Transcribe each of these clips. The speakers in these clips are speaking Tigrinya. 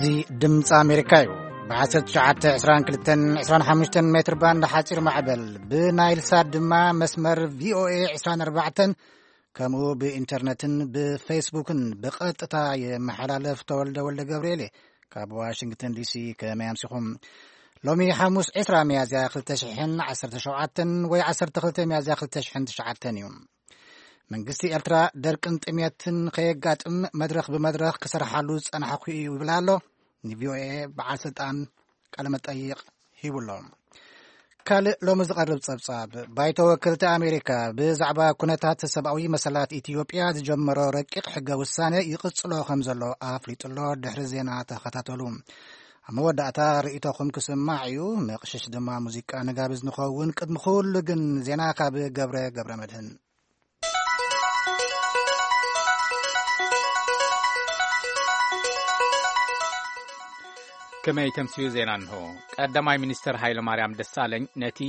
እዚ ድምፂ ኣሜሪካ እዩ። ብ1922 25 ሜትር ባንድ ሓፂር ማዕበል፣ ብናይል ሳት ድማ መስመር ቪኦኤ 24፣ ከምኡ ብኢንተርነትን ብፌስቡክን ብቐጥታ የመሓላለፍ። ተወልደ ወልደ ገብርኤል እየ ካብ ዋሽንግተን ዲሲ። ከመይ ኣምሲኹም? ሎሚ ሓሙስ 20 ሚያዝያ 2017 ወይ 12 ሚያዝያ 2009 እዩ። መንግስቲ ኤርትራ ደርቅን ጥሜትን ከየጋጥም መድረኽ ብመድረኽ ክሰርሓሉ ዝጸናሕኩ እዩ ይብል ኣሎ። ንቪኦኤ በዓል ስልጣን ቃለ መጠይቕ ሂቡ ኣሎ። ካልእ ሎሚ ዝቐርብ ጸብጻብ፣ ባይቶ ወከልቲ ኣሜሪካ ብዛዕባ ኩነታት ሰብኣዊ መሰላት ኢትዮጵያ ዝጀመሮ ረቂቕ ሕገ ውሳነ ይቕጽሎ ከም ዘሎ ኣፍሊጡ ኣሎ። ድሕሪ ዜና ተኸታተሉ። ኣብ መወዳእታ ርእይቶኹም ክስማዕ እዩ። መቕሽሽ ድማ ሙዚቃ ንጋብዝ ንኸውን። ቅድሚ ኩሉ ግን ዜና ካብ ገብረ ገብረ መድህን። ከመይ ተምስዩ ዜና እንሆ። ቀዳማይ ሚኒስተር ሃይለ ማርያም ደሳለኝ ነቲ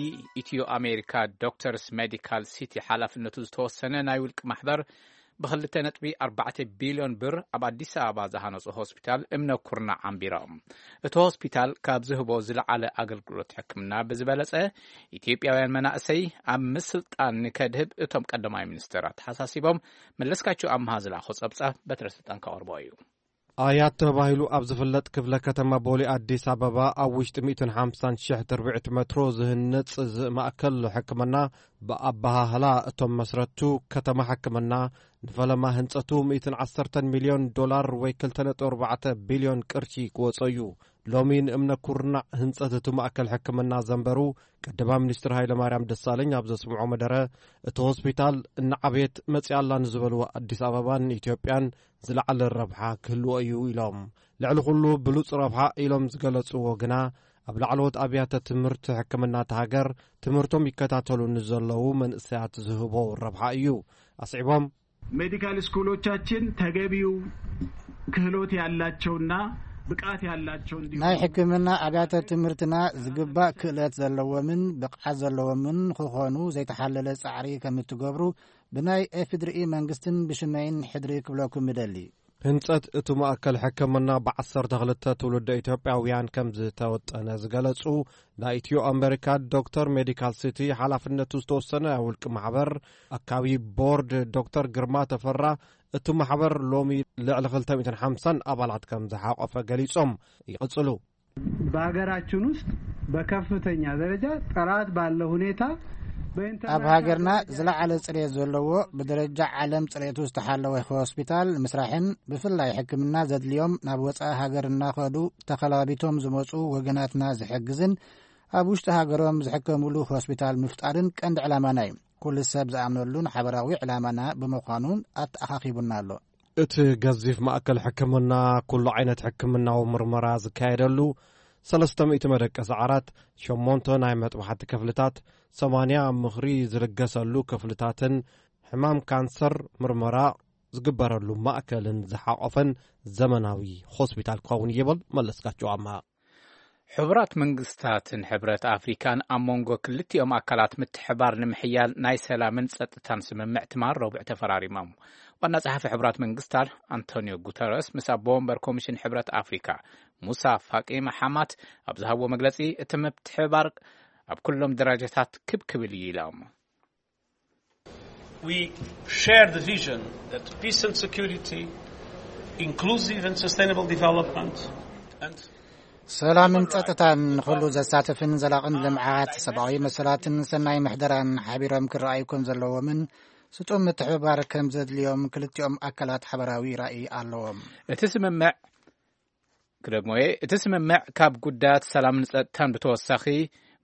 ኢትዮ ኣሜሪካ ዶክተርስ ሜዲካል ሲቲ ሓላፍነቱ ዝተወሰነ ናይ ውልቂ ማሕበር ብ2.4 ቢልዮን ብር ኣብ ኣዲስ ኣበባ ዝሃነጹ ሆስፒታል እምነ ኩርናዕ ኣንቢሮም። እቲ ሆስፒታል ካብ ዝህቦ ዝለዓለ ኣገልግሎት ሕክምና ብዝበለጸ ኢትዮጵያውያን መናእሰይ ኣብ ምስልጣን ንከድህብ እቶም ቀዳማይ ሚኒስተር ኣተሓሳሲቦም። መለስካቸው ኣምሃ ዝለኣኾ ጸብጻብ በትረ ስልጣን ከቕርቦ እዩ። ኣያት ተባሂሉ ኣብ ዝፍለጥ ክፍለ ከተማ ቦሌ ኣዲስ ኣበባ ኣብ ውሽጢ 150,000 ትርብዒት ሜትሮ ዝህነጽ እዚ ማእከል ሕክምና፣ ብኣበሃህላ እቶም መስረቱ ከተማ ሕክምና፣ ንፈለማ ህንጸቱ 110 ሚልዮን ዶላር ወይ 2.4 ቢልዮን ቅርሺ ክወጾ እዩ። ሎሚ ንእምነ ኩርናዕ ህንጸት እቲ ማእከል ሕክምና ዘንበሩ ቀዳማይ ሚኒስትር ሃይለማርያም ደሳለኝ ኣብ ዘስምዖ መደረ፣ እቲ ሆስፒታል እናዓበየት መጺኣላ ንዝበልዎ ኣዲስ ኣበባን ኢትዮጵያን ዝለዓለ ረብሓ ክህልዎ እዩ ኢሎም። ልዕሊ ኩሉ ብሉጽ ረብሓ ኢሎም ዝገለጽዎ ግና፣ ኣብ ላዕለዎት ኣብያተ ትምህርቲ ሕክምና እታ ሃገር ትምህርቶም ይከታተሉ ንዘለዉ መንእሰያት ዝህቦ ረብሓ እዩ። ኣስዒቦም፣ ሜዲካል ስኩሎቻችን ተገቢው ክህሎት ያላቸውና ብቃት ያላቸው እንዲሆኑ ናይ ሕክምና ኣብያተ ትምህርትና ዝግባእ ክእለት ዘለዎምን ብቕዓት ዘለዎምን ክኾኑ ዘይተሓለለ ጻዕሪ ከም እትገብሩ ብናይ ኤፍድርኢ መንግስትን ብሽመይን ሕድሪ ክብለኩም እደሊ። ህንጸት እቲ ማእከል ሕክምና ብ12 ትውልደ ኢትዮጵያውያን ከም ዝተወጠነ ዝገለጹ ናይ ኢትዮ ኣሜሪካ ዶክተር ሜዲካል ሲቲ ሓላፍነቱ ዝተወሰነ ውልቂ ማሕበር ኣካቢ ቦርድ ዶክተር ግርማ ተፈራ፣ እቲ ማሕበር ሎሚ ልዕሊ 250 ኣባላት ከም ዝሓቆፈ ገሊጾም ይቕጽሉ። በሀገራችን ውስጥ በከፍተኛ ደረጃ ጥራት ባለው ሁኔታ በኢንተርናሽናል ኣብ ሃገርና ደረጃ ዝለዓለ ጽሬት ዘለዎ፣ ብደረጃ ዓለም ጽሬቱ ዝተሓለወ ሆስፒታል ምስራሕን ብፍላይ ሕክምና ዘድልዮም ናብ ወጻኢ ሃገር እናኸዱ ተኸላቢቶም ዝመጹ ወገናትና ዝሕግዝን ኣብ ውሽጢ ሃገሮም ዝሕከሙሉ ሆስፒታል ምፍጣርን ቀንዲ ዕላማና እዩ። ኩሉ ሰብ ዝኣምነሉን ሓበራዊ ዕላማና ብምዃኑን ኣተኣኻኺቡና ኣሎ። እቲ ገዚፍ ማእከል ሕክምና ኩሉ ዓይነት ሕክምናዊ ምርመራ ዝካየደሉ፣ 300 መደቀሲ ዓራት፣ ሸሞንተ ናይ መጥባሕቲ ክፍልታት፣ 80 ምኽሪ ዝልገሰሉ ክፍልታትን ሕማም ካንሰር ምርመራ ዝግበረሉ ማእከልን ዝሓቆፈን ዘመናዊ ሆስፒታል ክኸውን ይብል መለስካቸው ኣማ። ሕቡራት መንግስታትን ሕብረት ኣፍሪካን ኣብ መንጎ ክልቲኦም ኣካላት ምትሕባር ንምሕያል ናይ ሰላምን ጸጥታን ስምምዕ ትማል ረቡዕ ተፈራሪሞም። ዋና ጸሓፊ ሕቡራት መንግስታት ኣንቶኒዮ ጉተረስ ምስ ኣቦ ወንበር ኮሚሽን ሕብረት ኣፍሪካ ሙሳ ፋቂ መሓማት ኣብ ዝሃብዎ መግለጺ፣ እቲ ምትሕባር ኣብ ኩሎም ደረጃታት ክብ ክብል እዩ ኢሎም። We share the vision that peace and security, inclusive and sustainable development, and ሰላምን ጸጥታን፣ ንኹሉ ዘሳትፍን ዘላቕን ልምዓት፣ ሰብኣዊ መሰላትን ሰናይ ምሕደራን ሓቢሮም ክረኣዩ ከም ዘለዎምን ስጡም ምትሕብባር ከም ዘድልዮም ክልቲኦም ኣካላት ሓበራዊ ራእይ ኣለዎም። እቲ ስምምዕ ክደግሞ እየ። እቲ ስምምዕ ካብ ጉዳያት ሰላምን ጸጥታን ብተወሳኺ፣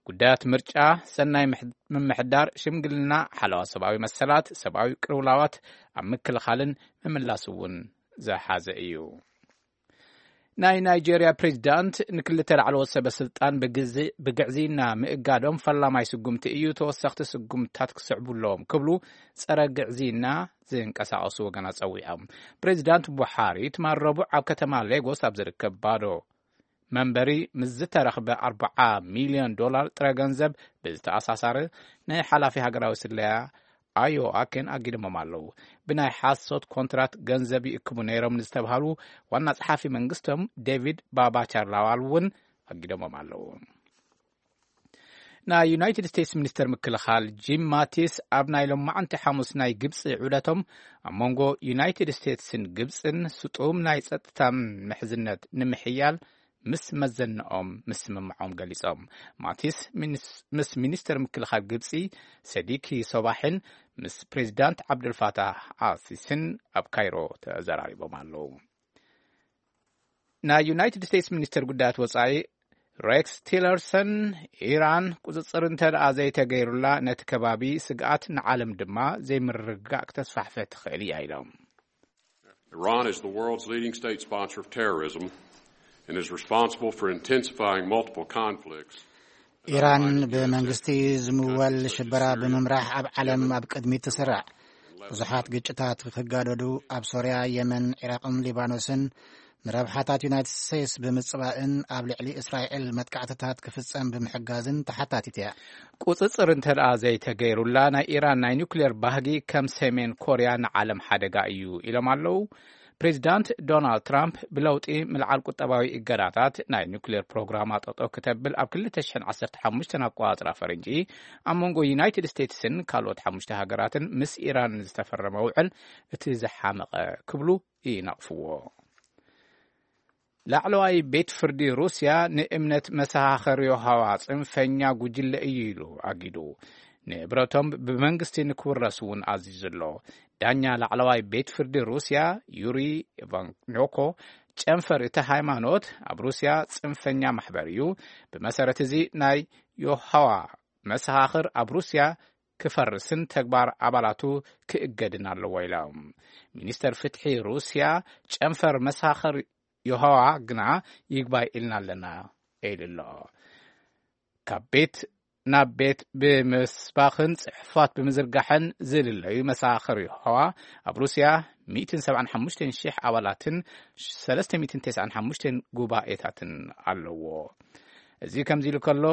ጉዳያት ምርጫ፣ ሰናይ ምሕ-፣ ምምሕዳር፣ ሽምግልና፣ ሓለዋ ሰብኣዊ መሰላት፣ ሰብኣዊ ቅልውላዋት ኣብ ምክልኻልን ምምላስ እውን ዝሓዘ እዩ። ናይ ናይጄርያ ፕሬዚዳንት ንክልተ ላዕለዎት ሰበ ስልጣን ብግዚ-፣ ብግዕዝይና ምእጋዶም ፈላማይ ስጉምቲ እዩ፣ ተወሰኽቲ ስጉምትታት ክስዕቡ ኣለዎም ክብሉ ጸረ ግዕዝይና ዝንቀሳቐሱ ወገናት ጸዊዖም። ፕሬዚዳንት ቡሓሪ ትማል ረቡዕ ኣብ ከተማ ሌጎስ ኣብ ዝርከብ ባዶ መንበሪ ምስ ዝተረኽበ 40 ሚልዮን ዶላር ጥረ ገንዘብ ብዝተኣሳሳረ ናይ ሓላፊ ሃገራዊ ስለያ ኣዮ ኣኬን ኣጊዶሞም ኣለዉ። ብናይ ሓሶት ኮንትራት ገንዘብ ይእክቡ ነይሮም ንዝተባሃሉ ዋና ጸሓፊ መንግስቶም ዴቪድ ባባቻር ላዋል እውን ኣጊዶሞም ኣለዉ። ናይ ዩናይትድ ስቴትስ ሚኒስተር ምክልኻል ጂም ማቲስ ኣብ ናይ ሎማዓንቲ ሓሙስ ናይ ግብፂ ዑደቶም ኣብ መንጎ ዩናይትድ ስቴትስን ግብፅን ስጡም ናይ ጸጥታ ምሕዝነት ንምሕያል ምስ መዘንኦም ምስምምዖም ገሊጾም። ማቲስ ምስ ሚኒስተር ምክልኻል ግብፂ ሰዲኪ ሶባሕን ምስ ፕሬዚዳንት ዓብዱልፋታህ ኣሲስን ኣብ ካይሮ ተዘራሪቦም ኣለዉ። ናይ ዩናይትድ ስቴትስ ሚኒስተር ጉዳያት ወጻኢ ሬክስ ቲለርሰን፣ ኢራን ቁጽጽር እንተ ደኣ ዘይተገይሩላ ነቲ ከባቢ ስግኣት ንዓለም ድማ ዘይምርግጋእ ክተስፋሕፍሕ ትኽእል እያ ኢሎም። Iran is the world's leading state sponsor of terrorism and is responsible for intensifying multiple conflicts. ኢራን ብመንግስቲ ዝምወል ሽበራ ብምምራሕ ኣብ ዓለም ኣብ ቅድሚት ትስራዕ። ብዙሓት ግጭታት ክጋደዱ ኣብ ሶርያ፣ የመን፣ ዒራቕን ሊባኖስን ንረብሓታት ዩናይትድ ስቴትስ ብምጽባእን ኣብ ልዕሊ እስራኤል መጥቃዕትታት ክፍጸም ብምሕጋዝን ተሓታቲት እያ። ቁጽጽር እንተ ደኣ ዘይተገይሩላ ናይ ኢራን ናይ ኒውክሌር ባህጊ ከም ሰሜን ኮርያ ንዓለም ሓደጋ እዩ ኢሎም ኣለዉ። ፕሬዚዳንት ዶናልድ ትራምፕ ብለውጢ ምልዓል ቁጠባዊ እገዳታት ናይ ኒውክሌር ፕሮግራማ ጠጠው ክተብል ኣብ ክልተ ሽሕን ዓሰርተ ሓሙሽተን ኣቆጻጽራ ፈረንጂ ኣብ መንጎ ዩናይትድ ስቴትስን ካልኦት ሓሙሽተ ሃገራትን ምስ ኢራን ዝተፈረመ ውዕል እቲ ዝሓመቐ ክብሉ ይነቕፍዎ። ላዕለዋይ ቤት ፍርዲ ሩስያ ንእምነት መሰኻኽር የሆዋ ጽንፈኛ ጉጅለ እዩ ኢሉ ኣጊዱ። ንብረቶም ብመንግስቲ ንክውረስ እውን ኣዚዙ ኣሎ። ዳኛ ላዕለዋይ ቤት ፍርዲ ሩስያ ዩሪ ኢቫኖኮ፣ ጨንፈር እቲ ሃይማኖት ኣብ ሩስያ ጽንፈኛ ማሕበር እዩ። ብመሰረት እዚ ናይ የሆዋ መሰኻኽር ኣብ ሩስያ ክፈርስን ተግባር ኣባላቱ ክእገድን ኣለዎ ኢሎም። ሚኒስተር ፍትሒ ሩስያ ጨንፈር መሰኻኽር የሆዋ ግና ይግባይ ኢልና ኣለና ኢሉ ኣሎ። ካብ ቤት ናብ ቤት ብምስባኽን ጽሑፋት ብምዝርጋሕን ዝልለዩ መሰኻኽር የሆዋ ኣብ ሩስያ ሚእትን ሰብዓን ሓሙሽተን ሽሕ ኣባላትን ሰለስተ ሚእትን ተስዓን ሓሙሽተን ጉባኤታትን ኣለዎ። እዚ ከምዚ ኢሉ ከሎ፣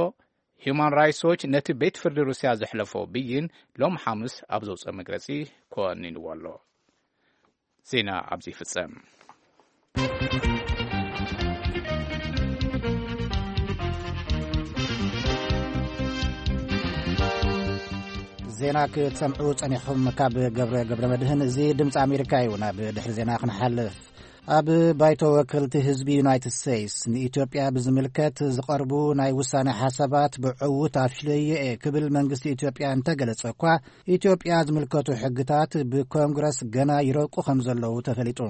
ሂዩማን ራይትስ ዎች ነቲ ቤት ፍርዲ ሩስያ ዘሕለፎ ብይን ሎም ሓሙስ ኣብ ዘውፅኦ መግለፂ ኮኒንዎ ኣሎ። ዜና ኣብዚ ይፍጸም። ዜና ክትሰምዑ ጸኒሕኹም ካብ ገብረ ገብረ መድህን። እዚ ድምፂ ኣሜሪካ እዩ። ናብ ድሕሪ ዜና ክንሓልፍ፣ ኣብ ባይቶ ወከልቲ ህዝቢ ዩናይትድ ስቴትስ ንኢትዮጵያ ብዝምልከት ዝቐርቡ ናይ ውሳኔ ሓሳባት ብዕዉት ኣፍሽለዮ እየ ክብል መንግስቲ ኢትዮጵያ እንተገለጸ እኳ፣ ኢትዮጵያ ዝምልከቱ ሕግታት ብኮንግረስ ገና ይረቁ ከም ዘለዉ ተፈሊጡ።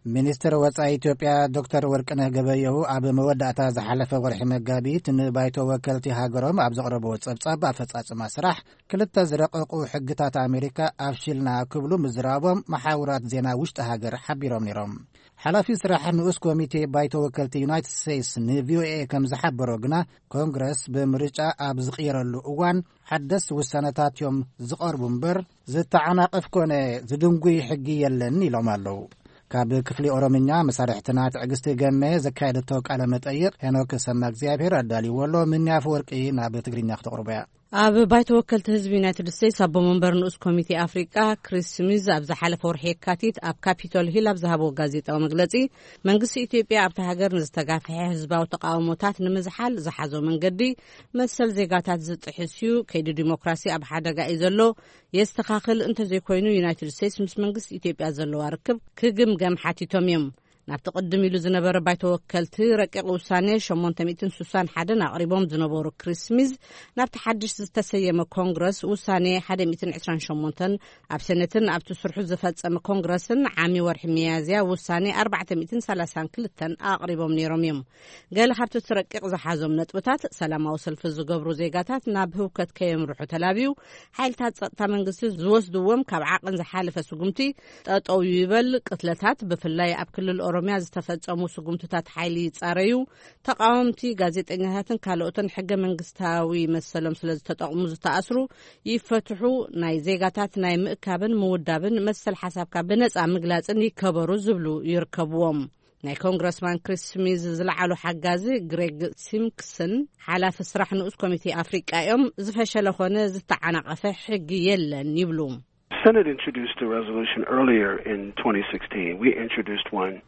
ሚኒስትር ወጻኢ ኢትዮጵያ ዶክተር ወርቅነህ ገበየሁ ኣብ መወዳእታ ዝሓለፈ ወርሒ መጋቢት ንባይቶ ወከልቲ ሃገሮም ኣብ ዘቕረብዎ ጸብጻብ ኣፈጻጽማ ስራሕ ክልተ ዝረቐቑ ሕግታት ኣሜሪካ ኣፍሽልና ክብሉ ምዝራቦም መሓውራት ዜና ውሽጢ ሃገር ሓቢሮም ነይሮም። ሓላፊ ስራሕ ንኡስ ኮሚቴ ባይቶ ወከልቲ ዩናይትድ ስቴትስ ንቪኦኤ ከም ዝሓበሮ ግና፣ ኮንግረስ ብምርጫ ኣብ ዝቕየረሉ እዋን ሓደስ ውሳነታት እዮም ዝቐርቡ እምበር ዝተዓናቐፍ ኮነ ዝድንጉይ ሕጊ የለን ኢሎም ኣለዉ። ካብ ክፍሊ ኦሮምኛ መሳርሕትና ትዕግስቲ ገመ ዘካየደቶ ቃለ መጠይቕ ሄኖክ ሰማ እግዚኣብሔር ኣዳልዎ ኣሎ። ምኒ ኣፈወርቂ ናብ ትግርኛ ክተቕርቦ እያ። ኣብ ባይቶ ወከልቲ ህዝቢ ዩናይትድ ስቴትስ ኣቦ መንበር ንኡስ ኮሚቴ ኣፍሪቃ ክሪስ ስሚዝ ኣብ ዝሓለፈ ወርሒ የካቲት ኣብ ካፒቶል ሂል ኣብ ዝሃብዎ ጋዜጣዊ መግለጺ፣ መንግስቲ ኢትዮጵያ ኣብታ ሃገር ንዝተጋፍሐ ህዝባዊ ተቃውሞታት ንምዝሓል ዝሓዞ መንገዲ መሰል ዜጋታት ዝጥሕስ እዩ፣ ከይዲ ዲሞክራሲ ኣብ ሓደጋ እዩ ዘሎ፣ የስተኻኽል፣ እንተዘይኮይኑ ዩናይትድ ስቴትስ ምስ መንግስቲ ኢትዮጵያ ዘለዋ ርክብ ክግምገም ሓቲቶም እዮም። ናብቲ ቅድም ኢሉ ዝነበረ ባይቶ ወከልቲ ረቂቕ ውሳኔ ሸሞንተ ሚእትን ስሳን ሓደን ኣቕሪቦም ዝነበሩ ክሪስ ስሚዝ፣ ናብቲ ሓድሽ ዝተሰየመ ኮንግረስ ውሳኔ ሓደ ሚእትን ዕስራን ሸሞንተን፣ ኣብ ሴኔትን ኣብቲ ስርሑ ዝፈጸመ ኮንግረስን ዓሚ ወርሒ ሚያዝያ ውሳኔ ኣርባዕተ ሚእትን ሰላሳን ክልተን ኣቕሪቦም ነይሮም እዮም። ገለ ካብቲ እቲ ረቂቕ ዝሓዞም ነጥብታት፣ ሰላማዊ ሰልፊ ዝገብሩ ዜጋታት ናብ ህውከት ከየምርሑ ተላብዩ፣ ሓይልታት ጸጥታ መንግስቲ ዝወስድዎም ካብ ዓቐን ዝሓለፈ ስጉምቲ ጠጠው ይበል፣ ቅትለታት፣ ብፍላይ ኣብ ክልል ኦሮሚያ ዝተፈጸሙ ስጉምትታት ሓይሊ ይጻረዩ፣ ተቃወምቲ፣ ጋዜጠኛታትን ካልኦትን ሕገ መንግስታዊ መሰሎም ስለ ዝተጠቕሙ ዝተኣስሩ ይፈትሑ፣ ናይ ዜጋታት ናይ ምእካብን ምውዳብን መሰል ሓሳብካ ብነጻ ምግላጽን ይከበሩ ዝብሉ ይርከብዎም። ናይ ኮንግረስማን ክሪስ ስሚዝ ዝለዓሉ ሓጋዚ ግሬግ ሲምክስን ሓላፊ ስራሕ ንኡስ ኮሚቴ ኣፍሪቃ እዮም። ዝፈሸለ ኾነ ዝተዓናቐፈ ሕጊ የለን ይብሉ። Senate introduced a resolution earlier in twenty sixteen. We introduced one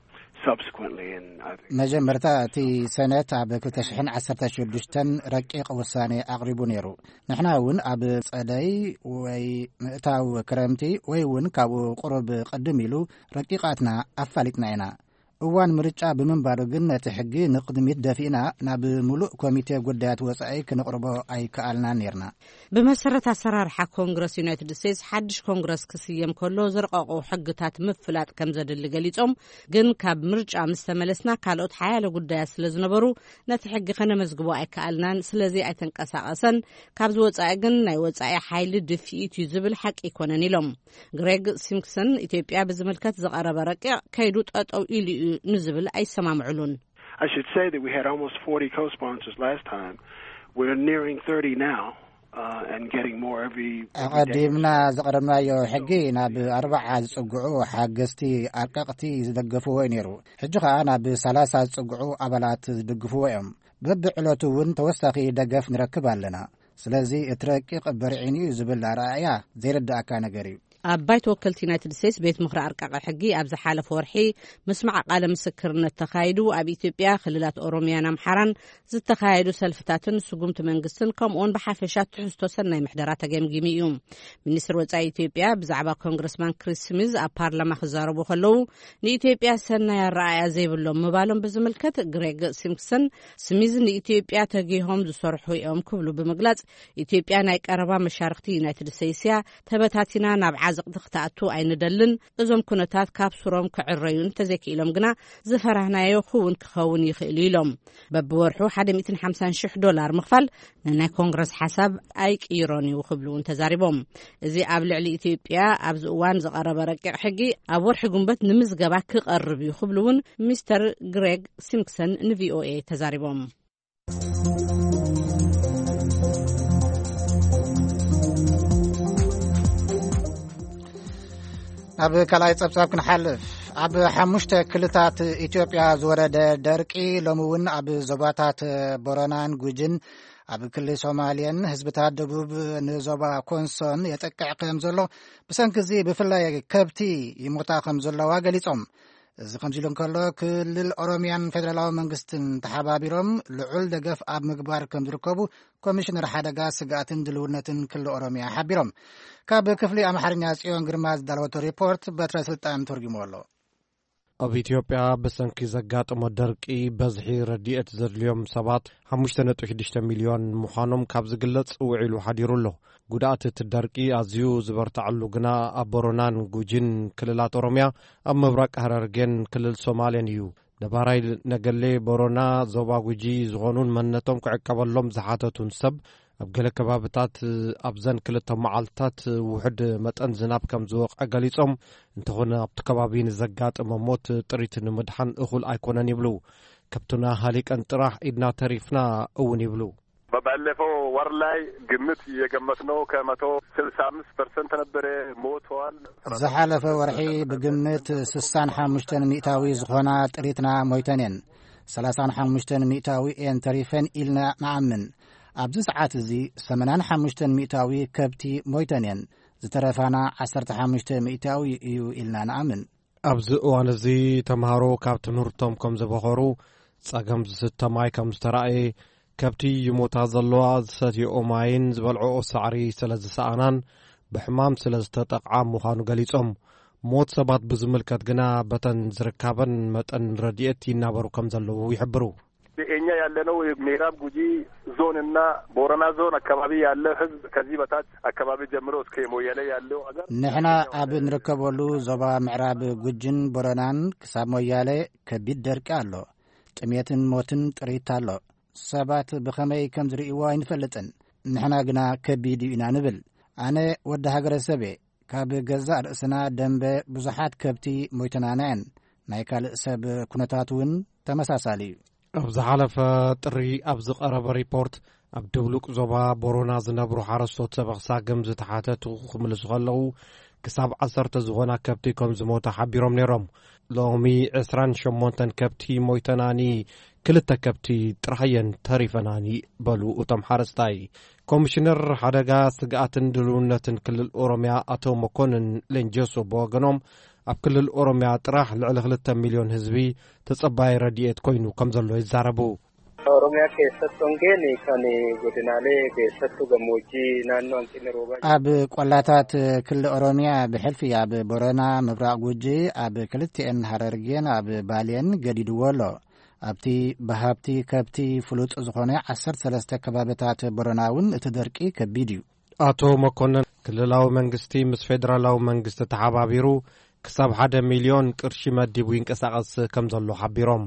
subsequently in, I think, መጀመርታ እቲ ሰነት ኣብ ክልተ ሽሕን ዓሰርተ ሽዱሽተን ረቂቕ ውሳኔ ኣቕሪቡ ነይሩ። ንሕና እውን ኣብ ጸደይ ወይ ምእታው ክረምቲ ወይ እውን ካብኡ ቁሩብ ቅድም ኢሉ ረቂቓትና ኣፋሊጥና ኢና። እዋን ምርጫ ብምንባሩ ግን ነቲ ሕጊ ንቕድሚት ደፊእና ናብ ምሉእ ኮሚቴ ጉዳያት ወጻኢ ክንቕርቦ ኣይከኣልናን ነይርና። ብመሰረት ኣሰራርሓ ኮንግረስ ዩናይትድ ስቴትስ፣ ሓድሽ ኮንግረስ ክስየም ከሎ ዝረቐቑ ሕግታት ምፍላጥ ከም ዘድሊ ገሊጾም፣ ግን ካብ ምርጫ ምስ ተመለስና ካልኦት ሓያለ ጉዳያት ስለ ዝነበሩ ነቲ ሕጊ ከነመዝግቦ ኣይከኣልናን፣ ስለዚ ኣይተንቀሳቐሰን። ካብዚ ወጻኢ ግን ናይ ወጻኢ ሓይሊ ድፍኢት እዩ ዝብል ሓቂ ኣይኮነን ኢሎም። ግሬግ ሲምፕሰን ኢትዮጵያ ብዝምልከት ዝቐረበ ረቂቕ ከይዱ ጠጠው ኢሉ እዩ ንዝብል ኣይሰማምዕሉን። I should say that we had almost forty co-sponsors last time. We're nearing thirty now, uh, and getting more every, every day. ኣቐዲምና ዘቕረብናዮ ሕጊ ናብ ኣርባዓ ዝጽግዑ ሓገዝቲ ኣርቀቕቲ ዝደገፍዎ እዩ ነይሩ። ሕጂ ኸኣ ናብ ሰላሳ ዝጽግዑ ኣባላት ዝድግፍዎ እዮም። በብዕለቱ እውን ተወሳኺ ደገፍ ንረክብ ኣለና። ስለዚ እቲ ረቂቕ በርዒኑ እዩ ዝብል ኣረኣእያ ዘይርድኣካ ነገር እዩ። ኣብ ባይቶ ወከልቲ ዩናይትድ ስቴትስ ቤት ምኽሪ ኣርቃቂ ሕጊ ኣብ ዝሓለፈ ወርሒ ምስማዕ ቃለ ምስክርነት ተኻይዱ፣ ኣብ ኢትዮጵያ ክልላት ኦሮሚያን ኣምሓራን ዝተኻየዱ ሰልፍታትን ስጉምቲ መንግስትን ከምኡውን ብሓፈሻ ትሕዝቶ ሰናይ ምሕደራ ተገምጊሙ እዩ። ሚኒስትር ወጻኢ ኢትዮጵያ ብዛዕባ ኮንግረስማን ክሪስ ስሚዝ ኣብ ፓርላማ ክዛረቡ ከለዉ፣ ንኢትዮጵያ ሰናይ ኣረኣእያ ዘይብሎም ምባሎም ብዝምልከት ግሬግ ሲምፕሰን፣ ስሚዝ ንኢትዮጵያ ተጊሆም ዝሰርሑ እዮም ክብሉ ብምግላጽ፣ ኢትዮጵያ ናይ ቀረባ መሻርኽቲ ዩናይትድ ስቴትስ እያ፣ ተበታቲና ናብ ዓዘቕቲ ክትኣቱ ኣይንደልን። እዞም ኩነታት ካብ ስሮም ክዕረዩ እንተዘይክኢሎም ግና ዝፈራህናዮ ክውን ክኸውን ይኽእል እዩ ኢሎም። በብወርሑ ሓደ ሚእትን ሓምሳን ሽሕ ዶላር ምኽፋል ንናይ ኮንግረስ ሓሳብ ኣይቅይሮን እዩ ክብሉ እውን ተዛሪቦም። እዚ ኣብ ልዕሊ ኢትዮጵያ ኣብዚ እዋን ዝቐረበ ረቂቕ ሕጊ ኣብ ወርሒ ጉንበት ንምዝገባ ክቐርብ እዩ ክብሉ እውን ሚስተር ግሬግ ሲምፕሰን ንቪኦኤ ተዛሪቦም። ናብ ካልኣይ ጸብጻብ ክንሓልፍ። ኣብ ሓሙሽተ ክልታት ኢትዮጵያ ዝወረደ ደርቂ ሎሚ እውን ኣብ ዞባታት ቦረናን ጉጅን ኣብ ክልል ሶማልየን ህዝብታት ደቡብ ንዞባ ኮንሶን የጠቅዕ ከም ዘሎ ብሰንኪ እዚ ብፍላይ ከብቲ ይሞታ ከም ዘለዋ ገሊጾም። እዚ ከምዚ ኢሉ እንከሎ፣ ክልል ኦሮሚያን ፌደራላዊ መንግስትን ተሓባቢሮም ልዑል ደገፍ ኣብ ምግባር ከም ዝርከቡ ኮሚሽነር ሓደጋ ስግኣትን ድልውነትን ክልል ኦሮሚያ ሓቢሮም። ካብ ክፍሊ ኣምሓርኛ ጽዮን ግርማ ዝዳለወቶ ሪፖርት በትረ ስልጣን ተርጉሞ ኣሎ። ኣብ ኢትዮጵያ ብሰንኪ ዘጋጠሞ ደርቂ በዝሒ ረድኤት ዘድልዮም ሰባት ሓሙሽተ ነጥቢ ሽዱሽተ ሚልዮን ምዃኖም ካብ ዝግለጽ ውዒሉ ሓዲሩ ኣሎ። ጉድኣት እቲ ደርቂ ኣዝዩ ዝበርትዐሉ ግና ኣብ ቦረናን ጉጂን ክልላት ኦሮምያ፣ ኣብ ምብራቕ ሃረርጌን ክልል ሶማሌን እዩ። ነባራይ ነገሌ ቦረና ዞባ ጉጂ ዝኾኑን መንነቶም ክዕቀበሎም ዝሓተቱን ሰብ፣ ኣብ ገለ ከባብታት ኣብዘን ክልተ መዓልትታት ውሑድ መጠን ዝናብ ከም ዝወቕዐ ገሊጾም፣ እንተኾነ ኣብቲ ከባቢ ንዘጋጠመ ሞት ጥሪት ንምድሓን እኹል ኣይኮነን ይብሉ። ከብትና ሃሊቀን ጥራሕ ኢድና ተሪፍና እውን ይብሉ። ባለፈው ወር ላይ ግምት የገመትነው ከመቶ ስልሳ አምስት ፐርሰንት ነበረ ሞተዋል። ዝሓለፈ ወርሒ ብግምት ስሳን ሓሙሽተን ሚእታዊ ዝኾና ጥሪትና ሞይተን እየን። ሰላሳን ሓሙሽተን ሚእታዊ እየን ተሪፈን ኢልና ንኣምን። ኣብዚ ሰዓት እዚ ሰመናን ሓሙሽተን ሚእታዊ ከብቲ ሞይተን እየን። ዝተረፋና ዓሰርተ ሓሙሽተ ሚእታዊ እዩ ኢልና ንኣምን። ኣብዚ እዋን እዚ ተምሃሮ ካብ ትምህርቶም ከም ዝበኸሩ፣ ጸገም ዝስተ ማይ ከም ዝተራእየ፣ ከብቲ ይሞታ ዘለዋ ዝሰትየኦ ማይን ዝበልዕኦ ሳዕሪ ስለ ዝሰኣናን ብሕማም ስለ ዝተጠቕዓ ምዃኑ ገሊጾም። ሞት ሰባት ብዝምልከት ግና በተን ዝርካበን መጠን ረድኤት ይናበሩ ከም ዘለዉ ይሕብሩ። እኛ ያለነው ምዕራብ ጉጂ ዞን እና ቦረና ዞን አካባቢ ያለ ህዝብ ከዚህ በታች አካባቢ ጀምሮ እስከ ሞያሌ ያለው አገር ንሕና ኣብ እንርከበሉ ዞባ ምዕራብ ጉጅን ቦረናን ክሳብ ሞያሌ ከቢድ ደርቂ ኣሎ። ጥሜትን ሞትን ጥሪት ኣሎ። ሰባት ብኸመይ ከም ዝርእይዎ ኣይንፈልጥን። ንሕና ግና ከቢድ እዩ ኢና ንብል። ኣነ ወዲ ሃገረሰብ እየ። ካብ ገዛእ ርእስና ደንበ ብዙሓት ከብቲ ሞይተናና እየን። ናይ ካልእ ሰብ ኩነታት እውን ተመሳሳሊ እዩ። ኣብ ዝሓለፈ ጥሪ ኣብ ዝቐረበ ሪፖርት፣ ኣብ ድብሉቕ ዞባ ቦረና ዝነብሩ ሓረስቶት ሰበኽ ሳግም ዝተሓተቱ ክምልሱ ከለዉ፣ ክሳብ ዓሰርተ ዝኾና ከብቲ ከም ዝሞታ ሓቢሮም ነይሮም። ሎሚ ዕስራን ሸሞንተን ከብቲ ሞይተናኒ ክልተ ከብቲ ጥራሕ እየን ተሪፈናኒ፣ በሉ እቶም ሓረስታይ። ኮሚሽነር ሓደጋ፣ ስግኣትን ድልውነትን ክልል ኦሮምያ ኣቶ መኮንን ሌንጀሶ ብወገኖም፣ ኣብ ክልል ኦሮምያ ጥራሕ ልዕሊ ክልተ ሚልዮን ህዝቢ ተጸባይ ረድኤት ኮይኑ ከም ዘሎ ይዛረቡ። Oromiyaa keessatti hongeen kan godinaalee keessattuu gammoojjii naannoo hanqinni roobaa ኣብ ቆላታት ክልል ኦሮምያ፣ ብሕልፊ ኣብ ቦረና፣ ምብራቕ ጉጂ፣ ኣብ ክልቲኤን ሃረርጌን ኣብ ባሌን ገዲድዎ ኣሎ። ኣብቲ ብሃብቲ ከብቲ ፍሉጥ ዝኾነ ዓሰርተ ሰለስተ ከባብታት ቦረና እውን እቲ ደርቂ ከቢድ እዩ። ኣቶ መኮንን፣ ክልላዊ መንግስቲ ምስ ፌደራላዊ መንግስቲ ተሓባቢሩ ክሳብ ሓደ ሚልዮን ቅርሺ መዲቡ ይንቀሳቐስ ከም ዘሎ ሓቢሮም።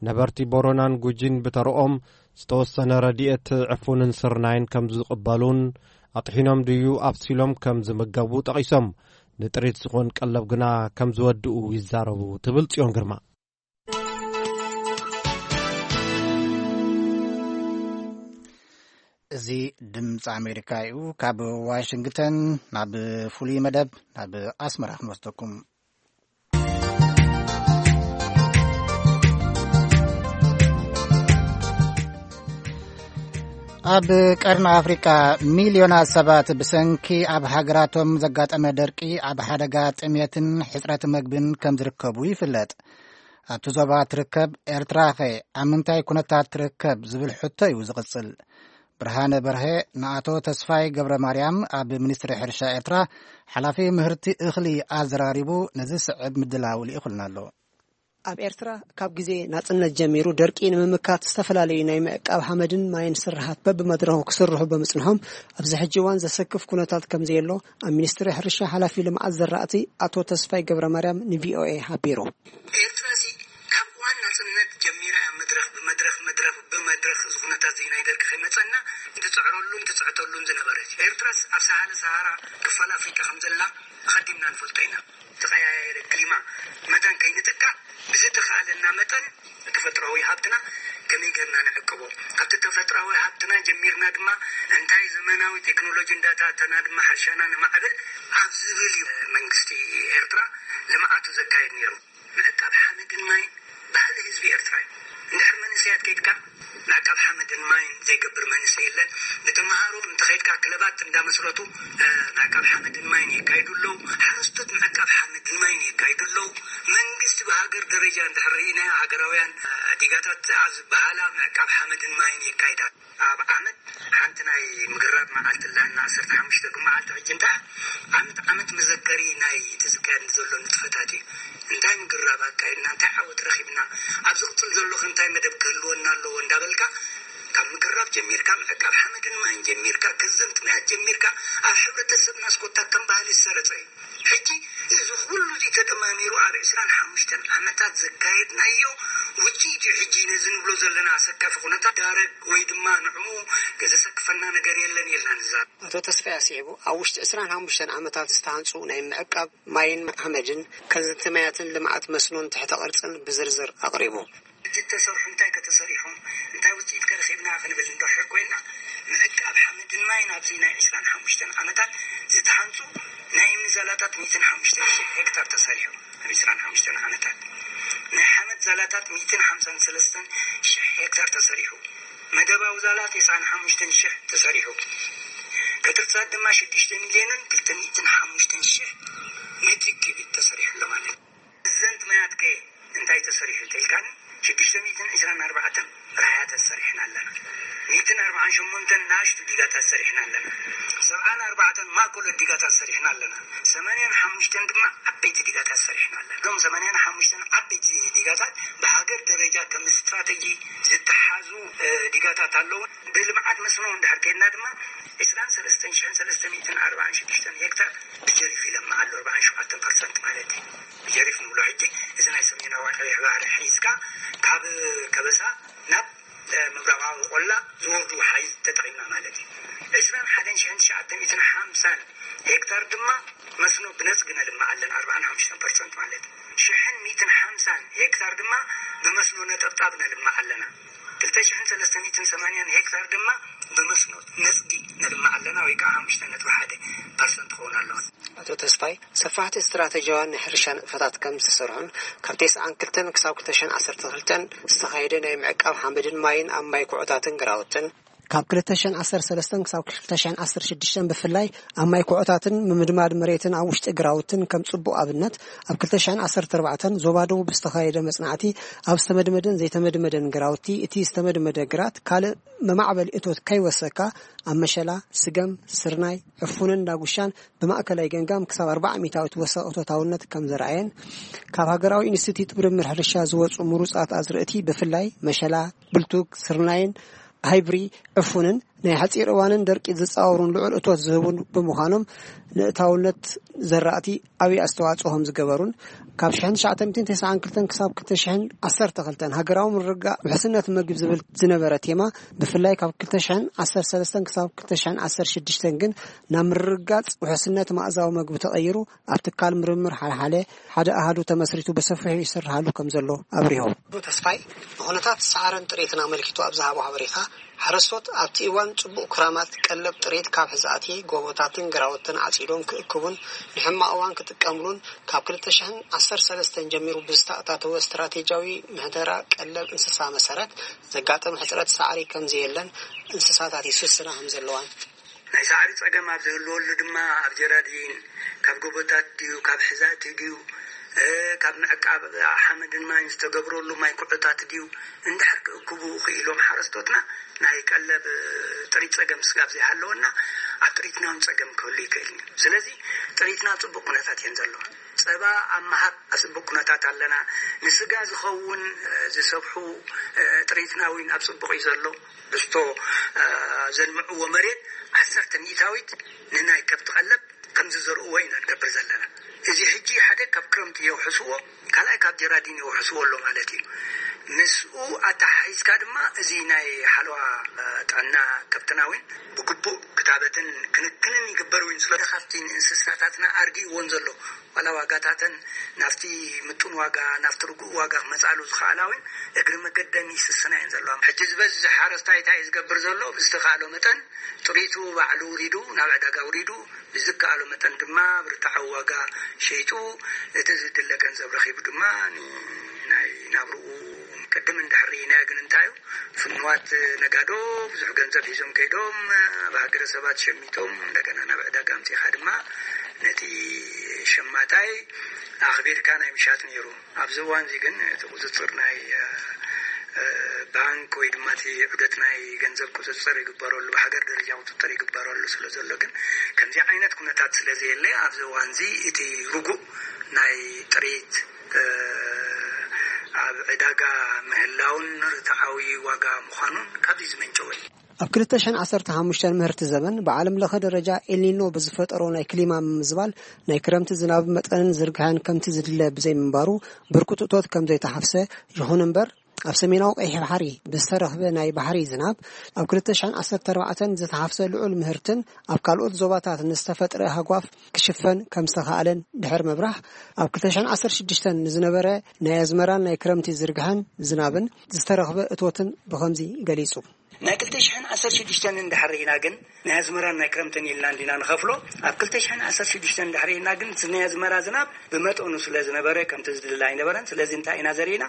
ነበርቲ ቦረናን ጉጂን ብተረኦም ዝተወሰነ ረድኤት ዕፉንን ስርናይን ከም ዝቕበሉን ኣጥሒኖም ድዩ ኣብሲሎም ከም ዝምገቡ ጠቒሶም፣ ንጥሪት ዝኾን ቀለብ ግና ከም ዝወድኡ ይዛረቡ ትብል ጽዮን ግርማ። እዚ ድምፂ ኣሜሪካ እዩ። ካብ ዋሽንግተን ናብ ፍሉይ መደብ ናብ ኣስመራ ክንወስደኩም። ኣብ ቀርኒ ኣፍሪቃ ሚልዮናት ሰባት ብሰንኪ ኣብ ሃገራቶም ዘጋጠመ ደርቂ ኣብ ሓደጋ ጥሜትን ሕጽረት መግብን ከም ዝርከቡ ይፍለጥ። ኣብቲ ዞባ ትርከብ ኤርትራኸ ኣብ ምንታይ ኩነታት ትርከብ ዝብል ሕቶ እዩ ዝቕጽል። ብርሃነ በርሀ ንኣቶ ተስፋይ ገብረ ማርያም፣ ኣብ ሚኒስትሪ ሕርሻ ኤርትራ ሓላፊ ምህርቲ እኽሊ፣ ኣዘራሪቡ ነዚ ስዕብ ምድላው ልኢኹልና ኣሎ። ኣብ ኤርትራ ካብ ግዜ ናጽነት ጀሚሩ ደርቂ ንምምካት ዝተፈላለዩ ናይ ምዕቃብ ሓመድን ማይን ስርሓት በብመድረኹ ክስርሑ ብምጽንሖም፣ ኣብዚ ሕጂ እዋን ዘሰክፍ ኩነታት ከም ዘየሎ ኣብ ሚኒስትሪ ሕርሻ ሓላፊ ልምዓት ዘራእቲ ኣቶ ተስፋይ ገብረ ማርያም ንቪኦኤ ሓቢሩ። ኤርትራ ሲ ካብ እዋን ናጽነት ጀሚራ እያ መድረኽ ብመድረኽ፣ መድረኽ ብመድረኽ፣ እዚ ኩነታት እዚ ናይ ደርቂ ከይመጸና ትጽዕረሉን ትጽዕተሉን ዝነበረት። ኤርትራስ ኣብ ሰሃለ ሰሃራ ክፋል ኣፍሪቃ ከም ዘላ ኣቐዲምና ንፈልጦ ኢና። ዝተቐያየረ ክሊማ መታን ከይንጥቃዕ ብዝተኻእለና መጠን ተፈጥራዊ ሃብትና ከመይ ጌርና ንዕቅቦ፣ ካብቲ ተፈጥራዊ ሃብትና ጀሚርና ድማ እንታይ ዘመናዊ ቴክኖሎጂ እንዳታተና ድማ ሕርሻና ነማዕብል ኣብ ዝብል እዩ መንግስቲ ኤርትራ ልምዓቱ ዘካየድ ነይሩ። ምዕቃብ ሓመድን ማይን ባህሊ ህዝቢ ኤርትራ እዩ። እንድሕር መንእሰያት ከይድካ ምዕቃብ ሓመድን ማይን ዘይገብር መንእሰይ የለን። ንተምሃሮ እንተኸይድካ ክለባት እንዳመስረቱ ምዕቃብ ሓመድን ማይን የካይዱ ኣለዉ። ሓረስቶት ምዕቃብ ሓመድን ማይን የካይዱ ኣለዉ። መንግስቲ ብሃገር ደረጃ እንድሕር ርኢናዮ፣ ሃገራውያን ዲጋታት ኣብ ዝበሃላ ምዕቃብ ሓመድን ማይን የካይዳ። ኣብ ዓመት ሓንቲ ናይ ምግራብ መዓልቲ ኣለና፣ ዓሰርተ ሓሙሽተ መዓልቲ። ሕጂ እንታይ ዓመት ዓመት መዘከሪ ናይ ትዝከር ዘሎ ንጥፈታት እዩ። እንታይ ምግራብ ኣካይድና፣ እንታይ ዓወት ረኺብና፣ ኣብ ዝቕጽል ዘሎ ከ እንታይ መደብ ክህልወና ኣለዎ እንዳበልካ፣ ካብ ምግራብ ጀሚርካ፣ ምዕቃብ ሓመድን ማይን ጀሚርካ፣ ገንዘብ ጥምያት ጀሚርካ፣ ኣብ ሕብረተሰብና ስኮታ ከም ባህሊ ዝሰረጸ እዩ። ሕጂ እዚ ኩሉ እዚ ተደማሚሩ ኣብ ዕስራን ሓሙሽተን ዓመታት ዘካየድናዮ ውጽኢት እዩ። ሕጂ ነዚ ንብሎ ዘለና ኣሰካፊ ኩነታት ዳረግ ወይ ድማ ንዕኡ ዘሰክፈና ነገር የለን ኢልና ንዛረብ። ኣቶ ተስፋይ ኣስዒቡ፣ ኣብ ውሽጢ ዕስራን ሓሙሽተን ዓመታት ዝተሃንጹ ናይ ምዕቃብ ማይን ሓመድን፣ ከንዝቲ ማያትን ልምዓት መስኖን ትሕተ ቅርጽን ብዝርዝር ኣቕሪቡ። ሕጂ እተሰርሑ እንታይ ከተሰሪሖም፣ እንታይ ውጽኢት ከረኺብና ክንብል እንድሕር ኮይንና፣ ምዕቃብ ሓመድን ማይን ኣብዚ ናይ ዕስራን ሓሙሽተን ዓመታት ዝተሃንጹ ናይ እምኒ ዛላታት ሚእትን ሓሙሽተን ሽሕ ሄክታር ተሰሪሑ። ኣብ ዕስራን ሓሙሽተን ዓመታት ናይ ሓመድ ዛላታት ሚእትን ሓምሳን ሰለስተን ሽሕ ሄክታር ተሰሪሑ። መደባዊ ዛላት ዕስራን ሓሙሽተን ሽሕ ተሰሪሑ። ከትርታት ድማ ሽዱሽተ ሚልዮንን ክልተ ሚእትን ሓሙሽተን ሽሕ ሜትሪክ ኪዩቢክ ተሰሪሑ ኣሎ ማለት እዩ። እዘን ትማያት ከ እንታይ ተሰሪሑ እንተኢልካኒ፣ ሽዱሽተ ሚእትን ዕስራን ኣርባዕተን ራሕያታት ሰሪሕና ኣለና። ሚእትን ኣርባዓን ሸሞንተን ንኣሽቱ ዲጋታት ሰሪሕና ኣለና። ሰብዓን ኣርባዕተን ማእከሎት ዲጋታት ሰሪሕና ኣለና። ሰማንያን ሓሙሽተን ድማ ዓበይቲ ዲጋታት ሰሪሕና ኣለና። እዞም ሰማንያን ሓሙሽተን ዓበይቲ ዲጋታት ብሃገር ደረጃ ከም ስትራተጂ ዝተሓዙ፣ እ፣ ዲጋታት ኣለዉ። ብልምዓት መስኖ እንድሕር ከይድና ድማ ዕስራን ሰለስተን ሽሕን ሰለስተ ሚእትን ኣርባዓን ሽዱሽተን ሄክታር ብጀሪፍ ይለምዕ ኣሎ፣ ኣርባዓን ሸውዓተን ፐርሰንት ማለት እዩ። ብጀሪፍ ንብሎ ሕጂ እዚ ናይ ሰሜናዊ ቀይሕ ባሕሪ ሒዝካ ካብ ከበሳ ናብ፣ እ፣ ምብራቓዊ ቆላ ዝወርዱ ወሓይዝ ተጠቒምና ማለት እዩ። ዕስራን ሓደን ሽሕን ትሽዓተ ሚእትን ሓምሳን ሄክታር ድማ መስኖ ብነጽጊ ነልምዕ ኣለና፣ ኣርባዓን ሓሙሽተን ፐርሰንት ማለት እዩ። ሽሕን ሚእትን ሓምሳን ሄክታር ድማ ብመስኖ ነጠብጣብ ነልምዕ ኣለና። ክልተ ሽሕን ሰለስተ ሚእትን ሰማንያን ሄክታር ድማ ብመስኖ ነጽጊ ነልምዕ ኣለና፣ ወይ ከዓ ሓሙሽተ ነጥቢ ሓደ ፐርሰንት ክኸውን ኣለዎ። ኣቶ ተስፋይ፣ ሰፋሕቲ ስትራተጂያውያን ናይ ሕርሻ ንጥፈታት ከም ዝተሰርሑን ካብ ተስዓን ክልተን ክሳብ ክልተ ሽሕን ዓሰርተ ክልተን ዝተኻየደ ናይ ምዕቃብ ሓመድን ማይን ኣብ ማይ ኩዖታትን ግራውትን፣ ካብ ክልተ ሽሕን ዓሰርተ ሰለስተን ክሳብ ክልተ ሽሕን ዓሰርተ ሽዱሽተን ብፍላይ ኣብ ማይ ኩዖታትን ምምድማድ መሬትን ኣብ ውሽጢ ግራውትን ከም ጽቡቕ ኣብነት፣ ኣብ ክልተ ሽሕን ዓሰርተ ኣርባዕተን ዞባ ደቡብ ዝተኻየደ መጽናዕቲ፣ ኣብ ዝተመድመደን ዘይተመድመደን ግራውቲ፣ እቲ ዝተመድመደ ግራት ካልእ መማዕበሊ እቶት ከይወሰካ፣ ኣብ መሸላ፣ ስገም፣ ስርናይ፣ ዕፉንን ዳጉሻን ብማእከላይ ገምጋም ክሳብ ኣርባዓ ሚእታዊት ወሰኽ እቶታውነት ከም ዘርኣየን፣ ካብ ሃገራዊ ኢንስቲትዩት ምርምር ሕርሻ ዝወጹ ምሩጻት ኣዝርእቲ ብፍላይ መሸላ፣ ብልቱግ፣ ስርናይን ሃይብሪ ዕፉንን ናይ ሓጺር እዋንን ደርቂ ዝጻወሩን ልዑል እቶት ዝህቡን ብምዃኖም፣ ንእታውነት ዘራእቲ ዓብዪ ኣስተዋጽኦ ከም ዝገበሩን፣ ካብ ሽሕን ትሽዓተ ሚእትን ተስዓን ክልተን ክሳብ ክልተ ሽሕን ዓሰርተ ክልተን ሃገራዊ ምርግጋእ ውሕስነት መግቢ ዝብል ዝነበረ ቴማ፣ ብፍላይ ካብ ክልተ ሽሕን ዓሰርተ ሰለስተን ክሳብ ክልተ ሽሕን ዓሰርተ ሽዱሽተን ግን ናብ ምርግጋጽ ውሕስነት መኣዛዊ መግቢ ተቐይሩ፣ ኣብ ትካል ምርምር ሓልሓለ ሓደ ኣሃዱ ተመስሪቱ ብሰፊሑ ይስርሃሉ ከም ዘሎ ኣብሪሆም። ኣቶ ተስፋይ ንኹነታት ሰዓርን ጥሬትን ኣመልኪቱ ኣብ ዝሃቦ ሓበሬታ፣ ሓረስቶት ኣብቲ እዋን ጽቡቕ ክራማት ቀለብ ጥሬት ካብ ሕዛእቲ ጎቦታትን ግራውትን ዓጺዶም ክእክቡን ንሕማቕ እዋን ክጥቀምሉን ካብ ክልተ ሽሕን ዓሰርተ ሰለስተን ጀሚሩ ብዝተኣታተወ ስትራቴጂያዊ ምሕደራ ቀለብ እንስሳ መሰረት ዘጋጠመ ሕጽረት ሳዕሪ ከም ዘየለን እንስሳታት ይስስና ከም ዘለዋን ናይ ሳዕሪ ጸገም ኣብ ዝህልወሉ ድማ ኣብ ጀራዲን ካብ ጎቦታት ድዩ ካብ ሕዛእቲ ድዩ ካብ ምዕቃብ ሓመድን ማይን ዝተገብረሉ ማይ ኩዕታት ድዩ እንድሕር ክእክቡ ክኢሎም ሓረስቶትና ናይ ቀለብ ጥሪት ጸገም ስጋብ ዘይሃለወና ኣብ ጥሪትና እውን ጸገም ክህሉ ይክእል እዩ። ስለዚ ጥሪትና ኣብ ጽቡቕ ኩነታት እየን ዘለዋ። ጸባ ኣብ ምሃብ ኣብ ጽቡቕ ኩነታት ኣለና። ንስጋ ዝኸውን ዝሰብሑ ጥሪትና እውን ኣብ ጽቡቕ እዩ ዘሎ። ብስቶ ዘልምዕዎ መሬት ዓሰርተ ሚእታዊት ንናይ ከብቲ ቀለብ ከም ዝዘርእዎ ኢና ንገብር ዘለና። እዚ ሕጂ ሓደ ካብ ክረምቲ የውሕስዎ፣ ካልኣይ ካብ ጀራዲን የውሕስዎ ኣሎ ማለት እዩ። ምስኡ ኣተሓሒዝካ ድማ እዚ ናይ ሓለዋ ጥዕና ከብትና እውን ብግቡእ ክታበትን ክንክንን ይግበር እውን ስለ ካብቲ ንእንስሳታትና ኣርጊእዎን ዘሎ ዋላ ዋጋታተን ናብቲ ምጡን ዋጋ ናብቲ ርጉእ ዋጋ ክመፃሉ ዝኽኣላ እውን እግሪ መገደን ይስስና እየን ዘለዋ። ሕጂ ዝበዝሕ ሓረስታይ እንታይ እዩ ዝገብር ዘሎ? ብዝተኻእሎ መጠን ጥሪቱ ባዕሉ ውሪዱ ናብ ዕዳጋ ውሪዱ ብዝከኣሎ መጠን ድማ ብርትዓዊ ዋጋ ሸይጡ እቲ ዝድለ ገንዘብ ረኺቡ ድማ ናይ ናብርኡ ቅድም እንድሕር ርኢናዮ ግን እንታዩ ፍንዋት ነጋዶ ብዙሕ ገንዘብ ሒዞም ከይዶም ኣብ ሃገረ ሰባት ሸሚቶም እንደገና ናብ ዕዳጋ ኣምፂኻ ድማ ነቲ ሸማታይ ኣኽቢርካ ናይ ምሻጥ ነይሩ። ኣብዚ እዋን እዚ ግን እቲ ቁፅፅር ናይ ባንክ ወይ ድማ እቲ ዑደት ናይ ገንዘብ ቁፅፅር ይግበረሉ ብሃገር ደረጃ ቁፅፅር ይግበረሉ ስለ ዘሎ ግን ከምዚ ዓይነት ኩነታት ስለ ዘየለ ኣብዚ እዋን እዚ እቲ ርጉእ ናይ ጥሪት ኣብ ዕዳጋ ምህላውን ርትዓዊ ዋጋ ምዃኑን ካብዚ ዝመንጨወ እዩ። ኣብ ክልተ ሽሕን ዓሰርተ ሓሙሽተን ምህርቲ ዘመን ብዓለም ለኸ ደረጃ ኤልኒኖ ብዝፈጠሮ ናይ ክሊማ ምምዝባል ናይ ክረምቲ ዝናብ መጠንን ዝርግሐን ከምቲ ዝድለ ብዘይምንባሩ ብርኩት እቶት ከም ዘይተሓፍሰ ይኹን እምበር ኣብ ሰሜናዊ ቀይሕ ባሕሪ ብዝተረኽበ ናይ ባሕሪ ዝናብ ኣብ ክልተ ሽሕን ዓሰርተ ኣርባዕተን ዝተሓፍሰ ልዑል ምህርትን ኣብ ካልኦት ዞባታት ንዝተፈጥረ ሃጓፍ ክሽፈን ከም ዝተኻኣለን ድሕር ምብራህ ኣብ ክልተ ሽሕን ዓሰርተ ሽዱሽተን ንዝነበረ ናይ ኣዝመራን ናይ ክረምቲ ዝርግሐን ዝናብን ዝተረኽበ እቶትን ብኸምዚ ገሊጹ። ናይ ክልተ ሽሕን ዓሰርተ ሽዱሽተን እንድሕር ርኢና ግን ናይ ኣዝመራን ናይ ክረምትን ኢልና እንዲና ንኸፍሎ። ኣብ ክልተ ሽሕን ዓሰርተ ሽዱሽተን እንድሕር ርኢና ግን እቲ ናይ ኣዝመራ ዝናብ ብመጠኑ ስለ ዝነበረ ከምቲ ዝድለ ኣይነበረን። ስለዚ እንታይ ኢና ዘርኢና?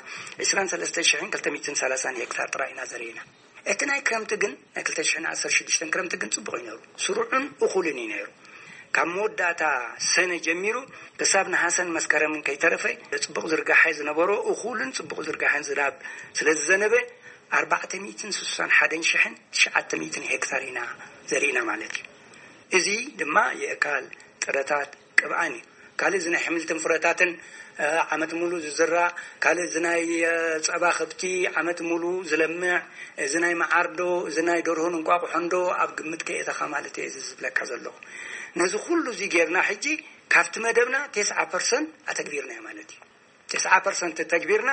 ዕስራን ሰለስተ ሽሕን ክልተ ሚእትን ሰላሳን ሄክታር ጥራይ ኢና ዘርኢና። እቲ ናይ ክረምቲ ግን ናይ ክልተ ሽሕን ዓሰርተ ሽዱሽተን ክረምቲ ግን ጽቡቕ እዩ ነይሩ። ስሩዕን እኹልን እዩ ነይሩ። ካብ መወዳእታ ሰነ ጀሚሩ ክሳብ ነሃሰን መስከረምን ከይተረፈ ጽቡቕ ዝርጋሐ ዝነበሮ እኹልን ጽቡቕ ዝርጋሐን ዝናብ ስለ ዝዘነበ ኣርባዕተ ሚእትን ስሳን ሓደን ሽሕን ትሽዓተ ሚእትን ሄክታር ኢና ዘሪእና ማለት እዩ። እዚ ድማ የእካል፣ ጥረታት፣ ቅብኣን እዩ። ካልእ እዚ ናይ ሕምልትን ፍረታትን ዓመት ሙሉ ዝዝራ፣ ካልእ እዚ ናይ ጸባ ከብቲ ዓመት ሙሉ ዝለምዕ፣ እዚ ናይ መዓርዶ፣ እዚ ናይ ደርሆን እንቋቑሖንዶ ኣብ ግምት ከየእተኻ ማለት እየ እዚ ዝብለካ ዘለኹ። ነዚ ኩሉ እዚ ጌርና ሕጂ ካብቲ መደብና ተስዓ ፐርሰንት ኣተግቢርናዮ ማለት እዩ። ተስዓ ፐርሰንት ተግቢርና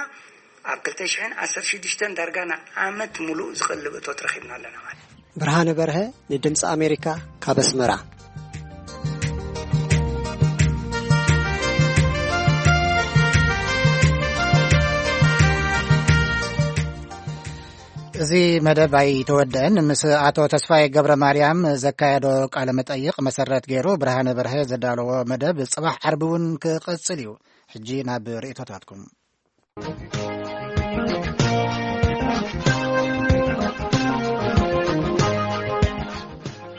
ኣብ ክልተ ሽሕን ዓሰርተ ሽዱሽተን ዳርጋ ንዓመት ሙሉእ ዝቐልብ እቶት ረኺብና ኣለና ማለት እዩ። ብርሃነ በርሀ ንድምፂ ኣሜሪካ ካብ ኣስመራ። እዚ መደብ ኣይተወደአን። ምስ ኣቶ ተስፋይ ገብረ ማርያም ዘካየዶ ቃለ መጠይቕ መሰረት ገይሩ ብርሃነ በርሀ ዘዳለዎ መደብ ጽባሕ ዓርቢ እውን ክቕጽል እዩ። ሕጂ ናብ ርእይቶታትኩም።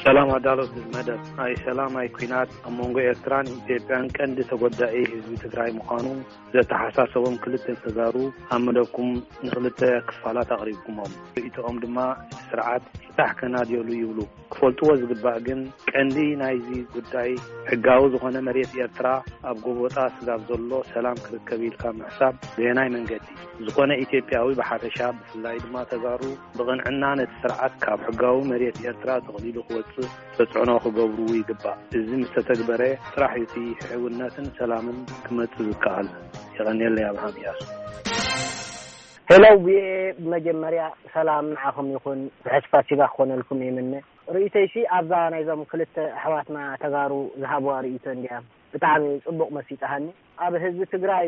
ሰላም ኣዳለውቲ መደብ። ኣይ ሰላም ኣይ ኲናት ኣብ መንጎ ኤርትራን ኢትዮጵያን ቀንዲ ተጎዳኢ ህዝቢ ትግራይ ምዃኑ ዘተሓሳሰቦም ክልተ ተጋሩ ኣብ መደብኩም ንክልተ ክፋላት ኣቕሪብኩሞም። ርእይቶኦም ድማ እቲ ስርዓት ፍታሕ ከናድየሉ ይብሉ። ክፈልጥዎ ዝግባእ ግን ቀንዲ ናይዚ ጉዳይ ሕጋዊ ዝኾነ መሬት ኤርትራ ኣብ ጎቦጣ ስጋብ ዘሎ ሰላም ክርከብ ኢልካ ምሕሳብ በየናይ መንገዲ? ዝኾነ ኢትዮጵያዊ ብሓፈሻ ብፍላይ ድማ ተጋሩ ብቕንዕና ነቲ ስርዓት ካብ ሕጋዊ መሬት ኤርትራ ተቕሊሉ ክወጽእ ተጽዕኖ ክገብሩ ይግባእ። እዚ ምስ ተተግበረ ጥራሕ እዩ እቲ ሕውነትን ሰላምን ክመጽእ ዝከኣል። የቐንየለይ ኣብርሃም እያሱ። ሄሎ ቪኦኤ፣ ብመጀመርያ ሰላም ንዓኹም ይኹን፣ ርሑስ ፋሲጋ ክኾነልኩም ይምነ። ርእይቶይሲ ኣብዛ ናይዞም ክልተ ኣሕዋትና ተጋሩ ዝሃብዋ ርእይቶ እንድያ ብጣዕሚ ጽቡቕ መሲጣሃኒ። ኣብ ህዝቢ ትግራይ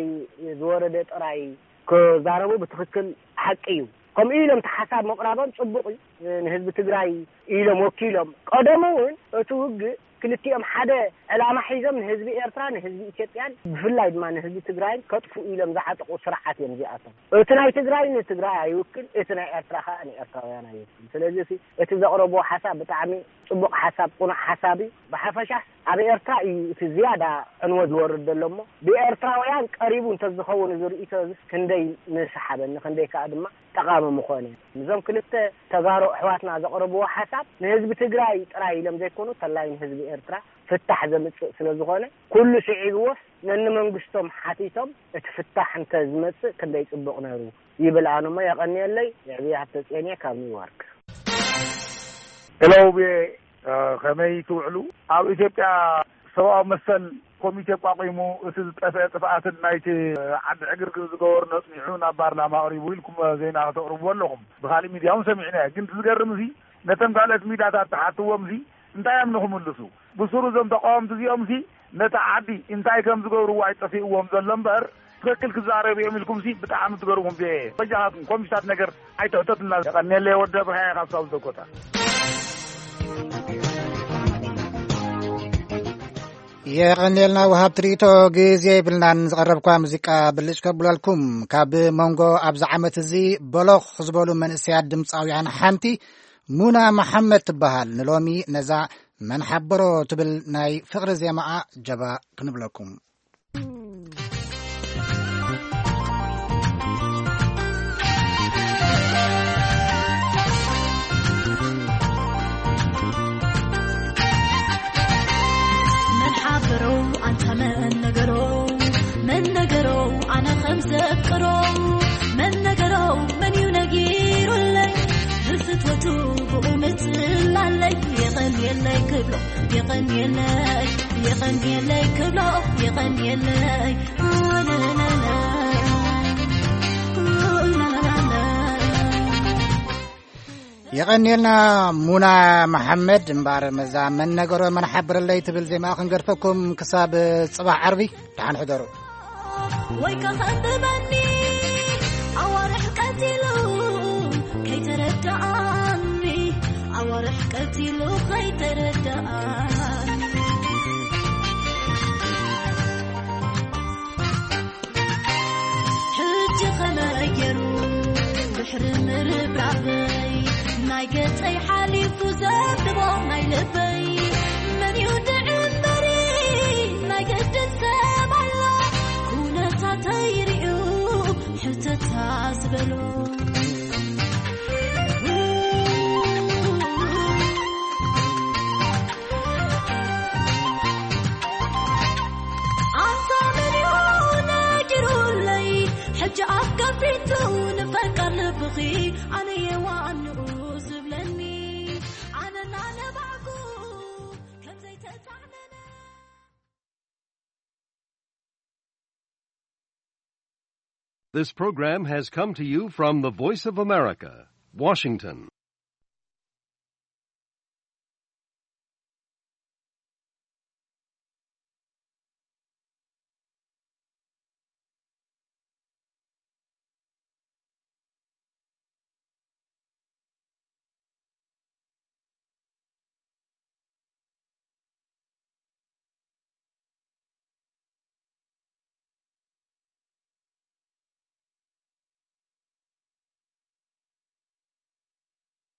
ዝወረደ ጥራይ ክዛረቡ ብትኽክል ሓቂ እዩ። ከምኡ ኢሎም እቲ ሓሳብ ምቕራቦም ጽቡቕ እዩ። ንህዝቢ ትግራይ ኢሎም ወኪሎም። ቀደሙ እውን እቲ ውግእ ክልቲኦም ሓደ ዕላማ ሒዞም ንህዝቢ ኤርትራ ንህዝቢ ኢትዮጵያን ብፍላይ ድማ ንህዝቢ ትግራይን ከጥፉ ኢሎም ዝዓጠቑ ስርዓት እዮም እዚኣቶም። እቲ ናይ ትግራይ ንትግራይ ኣይውክል፣ እቲ ናይ ኤርትራ ከዓ ንኤርትራውያን ኣይውክል። ስለዚ እቲ ዘቕረብዎ ሓሳብ ብጣዕሚ ጽቡቕ ሓሳብ፣ ቁኑዕ ሓሳብ እዩ። ብሓፈሻ ኣብ ኤርትራ እዩ እቲ ዝያዳ ዕንወት ዝወርድ ዘሎ እሞ ብኤርትራውያን ቀሪቡ እንተዝኸውን እዚ ርእይቶ እዚ ክንደይ ምሰሓበኒ፣ ክንደይ ከዓ ድማ ጠቓሚ ምኾነ። እዞም ክልተ ተጋሩ ኣሕዋትና ዘቕረብዎ ሓሳብ ንህዝቢ ትግራይ ጥራይ ኢሎም ዘይኮኑ ተላይ ንህዝቢ ኤርትራ ፍታሕ ዘምጽእ ስለ ዝኾነ ኩሉ ስዒብዎስ ነንመንግስቶም ሓቲቶም እቲ ፍታሕ እንተ ዝመጽእ ክንደይ ጽቡቕ ነይሩ ይብል። ኣነ እሞ የቐንየለይ። የዕብየ ሃብተጽዮን እየ ካብ ኒውዮርክ። ሄሎ ቪኦኤ፣ ከመይ ትውዕሉ? ኣብ ኢትዮጵያ ሰብኣዊ መሰል ኮሚቴ ኣቋቒሙ እቲ ዝጠፍአ ጥፍኣትን ናይቲ ዓዲ ዕግርግር ዝገበሩን ኣጽኒዑ ናብ ፓርላማ ኣቕሪቡ ኢልኩም ዜና ተቕርብዎ ኣለኹም። ብኻሊእ ሚድያ እውን ሰሚዕናዮ። ግን እቲ ዝገርም እዚ ነቶም ካልኦት ሚድያታት ትሓትዎም እዚ እንታይ እዮም ንኽምልሱ? ብሱሩ እዞም ተቃወምቲ እዚኦም እዚ ነታ ዓዲ እንታይ ከም ዝገብርዎ ኣይጠፊእዎም ዘሎ እምበር ትኽክል ክዛረቡ እዮም ኢልኩም ሲ ብጣዕሚ ትገርሙ። ቪኦኤ በጃኻትኩም ኮምሽታት ነገር ኣይትሕተቱና። የቐንየለይ ወዲ ኣብርሃ ካብ ሳውል ደኮታ። የቐንየልና ወሃብ ትርኢቶ። ግዜ የብልናን። ዝቐረብኳ ሙዚቃ ብልጭ ከብለልኩም። ካብ መንጎ ኣብዚ ዓመት እዚ በሎኽ ዝበሉ መንእሰያት ድምፃውያን ሓንቲ ሙና መሓመድ ትበሃል። ንሎሚ ነዛ መን ሓበሮ ትብል ናይ ፍቕሪ ዜማኣ ጀባ ክንብለኩም። መን ሓበሮ ኣንታ መን ነገሮ፣ መን ነገሮ ኣነ ከም ዘፍቅሮ፣ መን ነገሮ መን እዩ ነጊሩለይ፣ ብፍትወቱ ብኡ ምጽላለይ፣ የቐንየለይ ክብሎ፣ የቐንየለይ፣ የቐንየለይ ክብሎ፣ የቐንየለይ። የቐንየልና ሙና መሓመድ። እምበኣር መዛ መን ነገሮ መን ሓብረለይ ትብል ዜማ ክንገድፈኩም ክሳብ ጽባሕ ዓርቢ ደሓን ሕደሩ። ወይ ከኸብበኒ ኣዋርሕ ቀቲሉ ከይተረዳኣኒ፣ ኣዋርሕ ቀቲሉ ከይተረዳኣኒ። ሕጂ ከመይ ገይሩ ድሕሪ ምርብራበይ ናይ ገጸይ ሓሊፉ ዘንብቦ ናይ ልበይ መን እዩ ድዕምበሪ ናይ ግድን ሰብ ኣሎ ኩነታተይ ርእዩ ሕተታ ዝበሎ። ኣንታ መን እዩ ነጊሩለይ ሕጂ ኣፍ ከፊቱ ንፈቃር ልብኺ ኣነ የዋንኡ ዝብለኒ ኣነ እናነባዕኩ ከም ዘይተጻዕነነ። This program has come to you from the Voice of America, Washington.